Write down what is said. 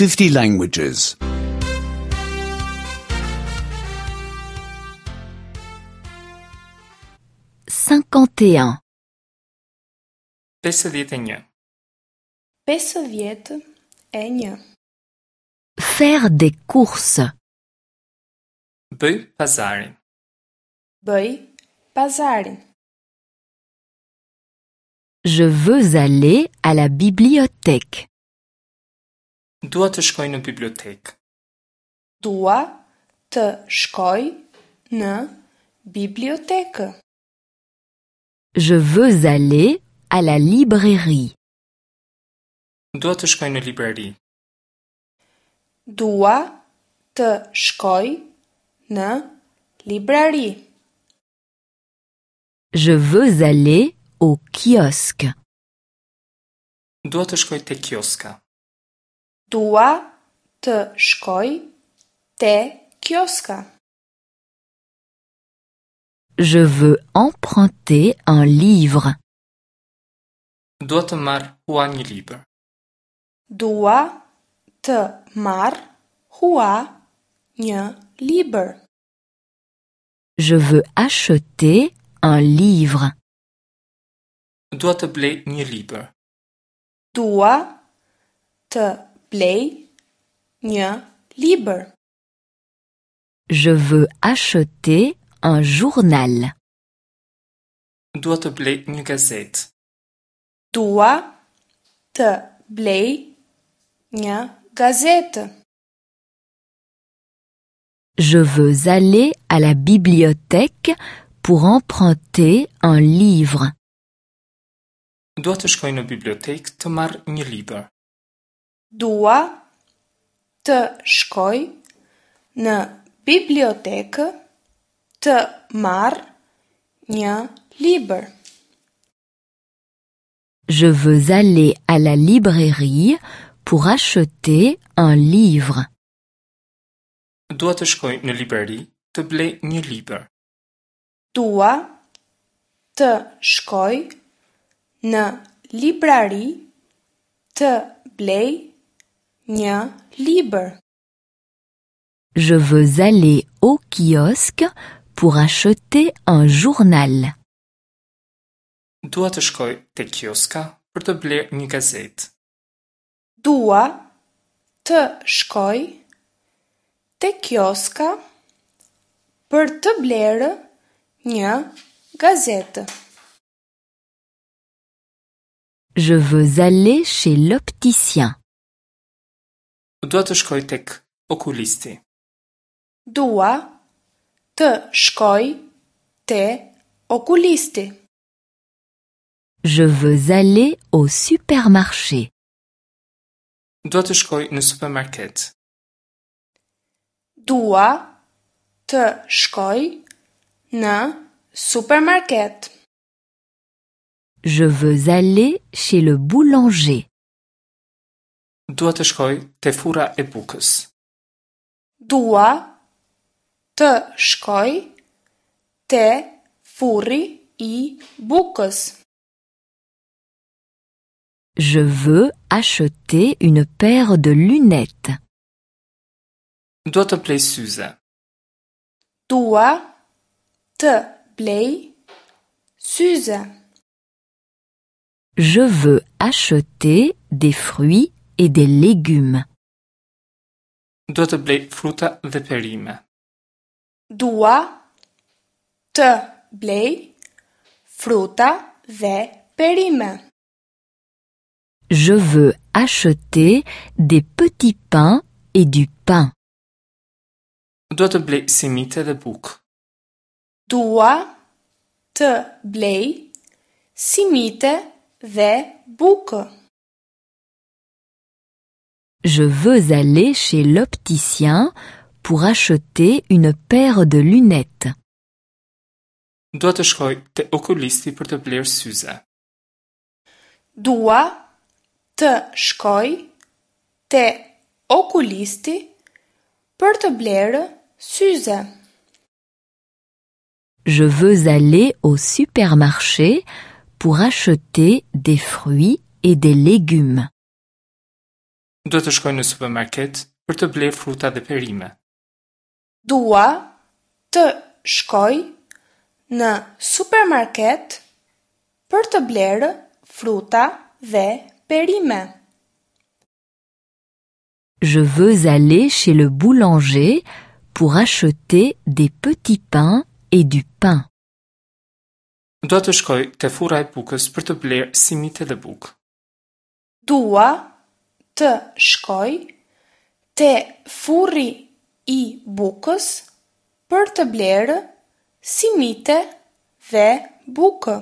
50 languages. 51. 51. 51. Faire des courses. Bëj pazarin. Bëj pazarin. Je veux aller à la bibliothèque. Dua të shkoj në bibliotekë. Dua të shkoj në bibliotekë. Je veux aller à la librairie. Dua të shkoj në librari. Dua të shkoj në librari. Je veux aller au kiosque. Dua të shkoj te kioska. Dua të shkoj te kioska. Je veux emprunter un livre. Dua të marr hua një libër. Dua të marr hua një libër. Je veux acheter un livre. Dua të blej një libër. Dua të blej një libër. Je veux acheter un journal. Dua të blej një gazetë. Dua të blej një gazetë. Je veux aller à la bibliothèque pour emprunter un livre. Dua të shkoj në bibliotekë të marr një libër. Dua të shkoj në bibliotekë të marr një libër. Je veux aller à la librairie pour acheter un livre. Dua të shkoj në librari të blej një libër. Dua të shkoj në librari të blej një libër. Je veux aller au kiosque pour acheter un journal. Dua të shkoj te kioska për të blerë një gazetë. Dua të shkoj te kioska për të blerë një gazetë. Je veux aller chez l'opticien. Dua të shkoj tek okulisti. Dua të shkoj te okulisti. Je veux aller au supermarché. Dua të shkoj në supermarket. Dua të shkoj në supermarket. Je veux aller chez le boulanger. Dua të shkoj te furra e bukës. Dua të shkoj te furri i bukës. Je veux acheter une paire de lunettes. Dua të blej syze. Dua të blej syze. Je veux acheter des fruits et des légumes. Dua të blej fruta dhe perime. Dua të blej fruta dhe perime. Je veux acheter des petits pains et du pain. Dua të blej simite dhe bukë. Dua të blej simite dhe bukë. Je veux aller chez l'opticien pour acheter une paire de lunettes. Dua të shkoj te okulisti për të blerë syze. Dua të shkoj te okulisti për të blerë syze. Je veux aller au supermarché pour acheter des fruits et des légumes. Dua të shkoj në supermarket për të blerë fruta dhe perime. Dua të shkoj në supermarket për të blerë fruta dhe perime. Je veux aller chez le boulanger pour acheter des petits pains et du pain. Dua të shkoj te furra e bukës për të blerë simite dhe bukë. Dua të shkoj te furri i bukës për të blerë simite dhe bukë.